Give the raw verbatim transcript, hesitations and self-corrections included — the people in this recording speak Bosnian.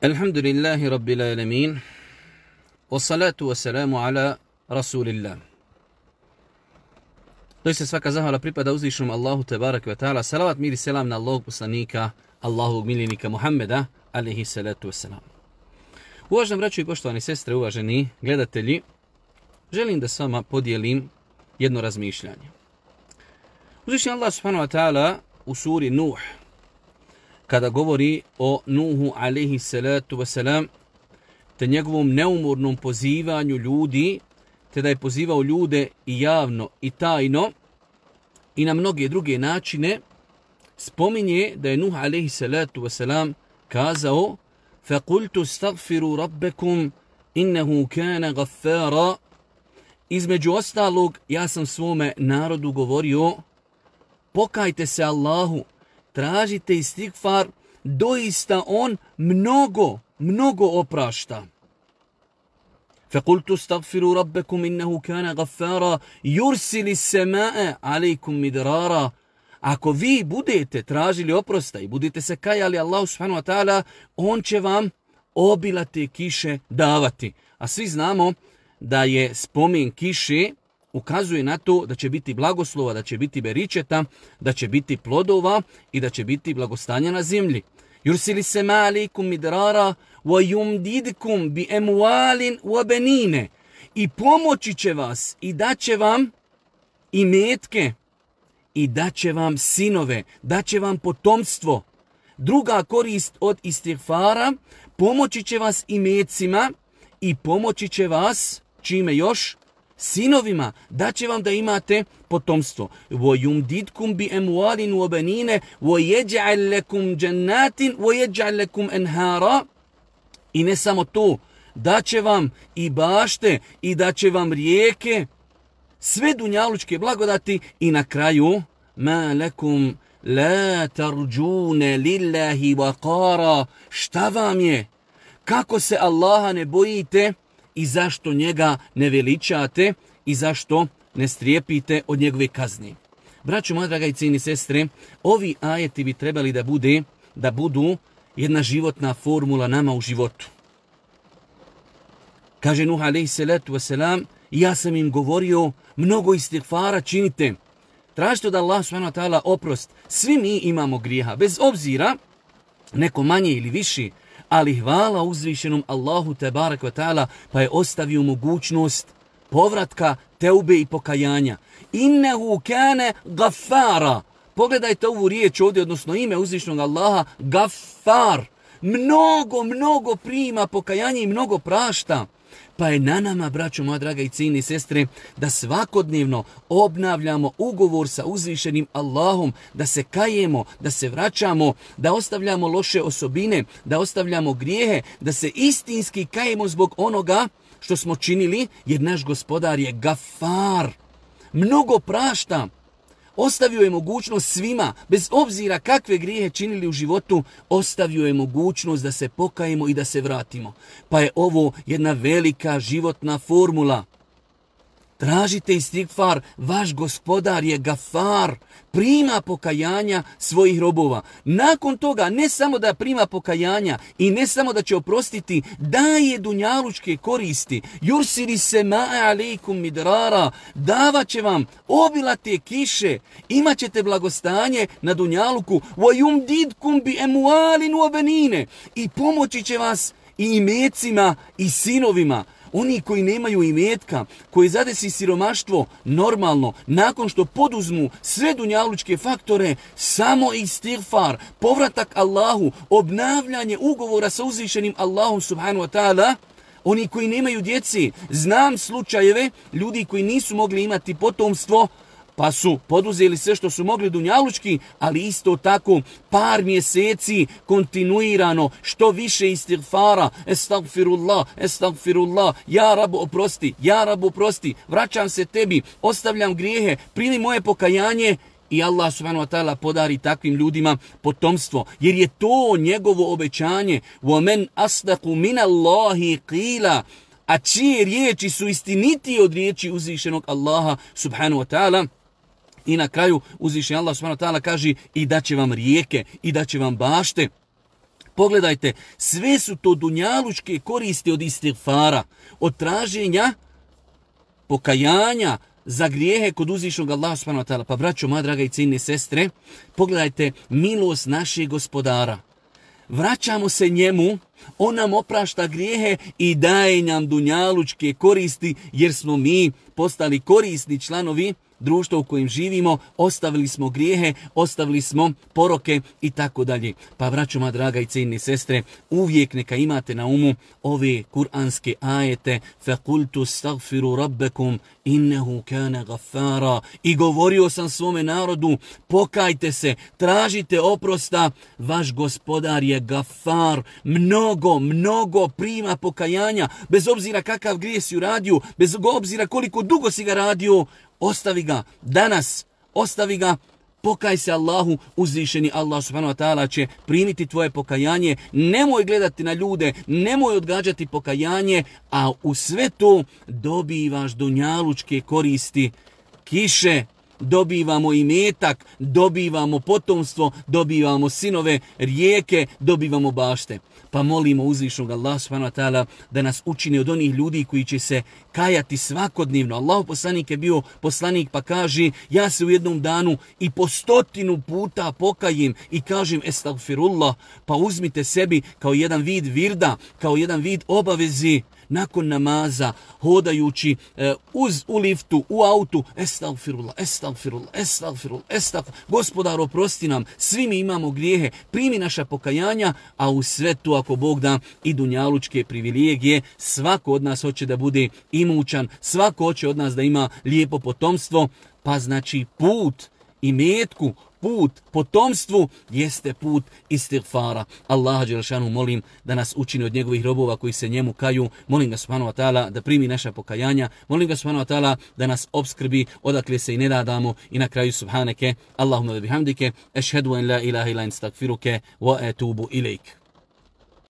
Alhamdulillahi Rabbil alamin. Wassalatu wassalamu ala Rasulillah. Doista svaka zahvala pripada uzvišenom Allahu tebareke ve taala. Salavat, mir i selam na Allahog poslanika, Allahovog miljenika Muhammeda, alejhi salatu wassalam. Uvaženi braćo i poštovani sestre, uvaženi gledatelji, želim da s vama podijelim jedno razmišljanje. Uzvišeni Allah subhanahu wa ta'ala u suri Nuh, kada govori o Nuhu alejhi salatu wasalam, te njegovom neumornom pozivanju ljudi, te da je pozivao ljude i javno i tajno i na mnoge druge načine, spominje da je Nuh alejhi salatu wasalam kazao: فَقُلْتُ اسْتَغْفِرُوا رَبَّكُمْ إِنَّهُ كَانَ غَفَّارًا. Između ostalog, ja sam svome narodu govorio: pokajte se Allahu, tražite istigfar, doista on mnogo, mnogo oprašta. فَقُلْتُ اسْتَغْفِرُوا رَبَّكُمْ إِنَّهُ كَانَ غَفَّارًا يُرْسِلِ السَّمَاءَ عَلَيْكُمْ مِدْرَارًا. Ako vi budete tražili oprosta i budete se kajali Allahu subhanahu wa ta'ala, on će vam obilate kiše davati. A svi znamo da je spomen kiše ukazuje na to da će biti blagoslova, da će biti beričeta, da će biti plodova i da će biti blagostanja na zemlji. Yursili sema alejkum midrara wa yumdidkum bi amwalin wa banine. I pomoći će vas i daće vam imetke i daće vam sinove, daće vam potomstvo. Druga korist od istigfara, pomoći će vas imecima i pomoći će vas, čime još? Sinovima, daće vam da imate potomstvo. وَيُمْدِدْكُمْ بِأَمْوَالٍ وَبَنِينَ وَيَجْعَلْ لَكُمْ جَنَّاتٍ وَيَجْعَلْ لَكُمْ أَنْهَارًا. I ne samo to, daće vam i bašte i daće vam rijeke, sve dunjalučke blagodati i na kraju مَا لَكُمْ لَا تَرْجُونَ لِلَّهِ وَقَارًا. Šta vam je? Kako se Allaha ne bojite i zašto njega ne veličate i zašto ne strijepite od njegove kazni? Braćo moja draga i cijeni sestre, ovi ajeti bi trebali da bude, da budu jedna životna formula nama u životu. Kaže Nuh alejhi salatu wasalam: ja sam im govorio, mnogo istigfara činite. Tražite od Allah subhanahu wa ta'ala oprost. Svi mi imamo grijeha, bez obzira, neko manje ili viši, ali hvala uzvišenom Allahu tebarek ve ta'ala, pa je ostavio mogućnost povratka, teube i pokajanja. Innehu kane gaffara. Pogledajte ovu riječ ovdje, odnosno ime uzvišenog Allaha, gaffar. Mnogo, mnogo prima pokajanje i mnogo prašta. Pa je na nama, braćo moja draga i cijene sestre, da svakodnevno obnavljamo ugovor sa uzvišenim Allahom, da se kajemo, da se vraćamo, da ostavljamo loše osobine, da ostavljamo grijehe, da se istinski kajemo zbog onoga što smo činili, jer naš gospodar je gafar, mnogo prašta. Ostavio je mogućnost svima, bez obzira kakve grijehe činili u životu, ostavio je mogućnost da se pokajemo i da se vratimo. Pa je ovo jedna velika životna formula. Tražite istigfar, vaš gospodar je gafar, prima pokajanja svojih robova. Nakon toga, ne samo da prima pokajanja i ne samo da će oprostiti, daje dunjalučke koristi. Yursili sema'a alejkum midrara, davat će vam obilate kiše, imat ćete blagostanje na dunjaluku. Wa yumdidkum bi amwalin wa banine, i pomoći će vas i imecima i sinovima. Oni koji nemaju imetka, koji zadesi siromaštvo, normalno, nakon što poduzmu sve dunjalučke faktore, samo istigfar, povratak Allahu, obnavljanje ugovora sa uzvišenim Allahom subhanahu wa ta'ala. Oni koji nemaju djeci, znam slučajeve ljudi koji nisu mogli imati potomstvo, pa su poduzeli sve što su mogli dunjalučki, ali isto tako par mjeseci kontinuirano, što više istigfara, estagfirullah, estagfirullah, ja Rabu oprosti, ja Rabu oprosti, vraćam se tebi, ostavljam grijehe, primi moje pokajanje, i Allah subhanahu wa ta'ala podari takvim ljudima potomstvo, jer je to njegovo obećanje. وَمَنْ أَصْدَقُ مِنَ اللَّهِ قِيلًا. A čije riječi su istinitije od riječi uzvišenog Allaha subhanahu wa ta'ala. I na kraju uzvišeni Allah subhanahu wa ta'ala kaže: i daće vam rijeke, i daće vam bašte. Pogledajte, sve su to dunjalučke koristi od istighfara, od traženja pokajanja za grijehe kod uzvišnog Allaha subhanahu wa ta'ala. Pa braćo, moja draga i cijenine sestre, pogledajte milost našeg gospodara. Vraćamo se njemu, on nam oprašta grijehe i daje nam dunjalučke koristi, jer smo mi postali korisni članovi društva u kojem živimo, ostavili smo grijehe, ostavili smo poroke i tako dalje. Pa braćo, moja draga i cijenine sestre, uvijek neka imate na umu ove kuranske ajete فَقُلْتُ اسْتَغْفِرُوا رَبَّكُمْ إِنَّهُ كَانَ غَفَّارًا. I govorio sam svome narodu, pokajte se, tražite oprosta, vaš gospodar je gafar, mnogo, mnogo prima pokajanja, bez obzira kakav grije si uradio, bez obzira koliko dugo si ga radio, ostavi ga danas, ostavi ga, pokaj se Allahu, uzvišeni Allah subhanahu wa ta'ala će primiti tvoje pokajanje, nemoj gledati na ljude, nemoj odgađati pokajanje, a u sve to dobivaš dunjalučke koristi, kiše, dobivamo imetak, dobivamo potomstvo, dobivamo sinove, rijeke, dobivamo bašte. Pa molimo uzvišnog Allaha subhanahu wa ta'ala da nas učini od onih ljudi koji će se kajati svakodnevno. Allahov poslanik je bio poslanik pa kaže, ja se u jednom danu i po stotinu puta pokajim i kažem estagfirullah, pa uzmite sebi kao jedan vid virda, kao jedan vid obavezi, nakon namaza, hodajući e, uz u liftu, u autu, estagfirullah, estagfirullah, estagfirullah, estagfirullah. Gospodar, oprosti nam, svi mi imamo grijehe, primi naša pokajanja, a u svetu, ako Bog da, i dunjalučke privilegije, svako od nas hoće da bude imućan, svako hoće od nas da ima lijepo potomstvo, pa znači put i metku, put potomstvu jeste put istighfara. Allaha dželešanu molim da nas učini od njegovih robova koji se njemu kaju. Molim ga subhanahu wa ta'ala da primi naša pokajanja. Molim ga subhanahu wa ta'ala da nas obskrbi odakle se i ne nadamo. I na kraju subhaneke, Allahumma bihamdike, ešhedu en la ilaha illa ente, astagfiruke wa etubu ilejk.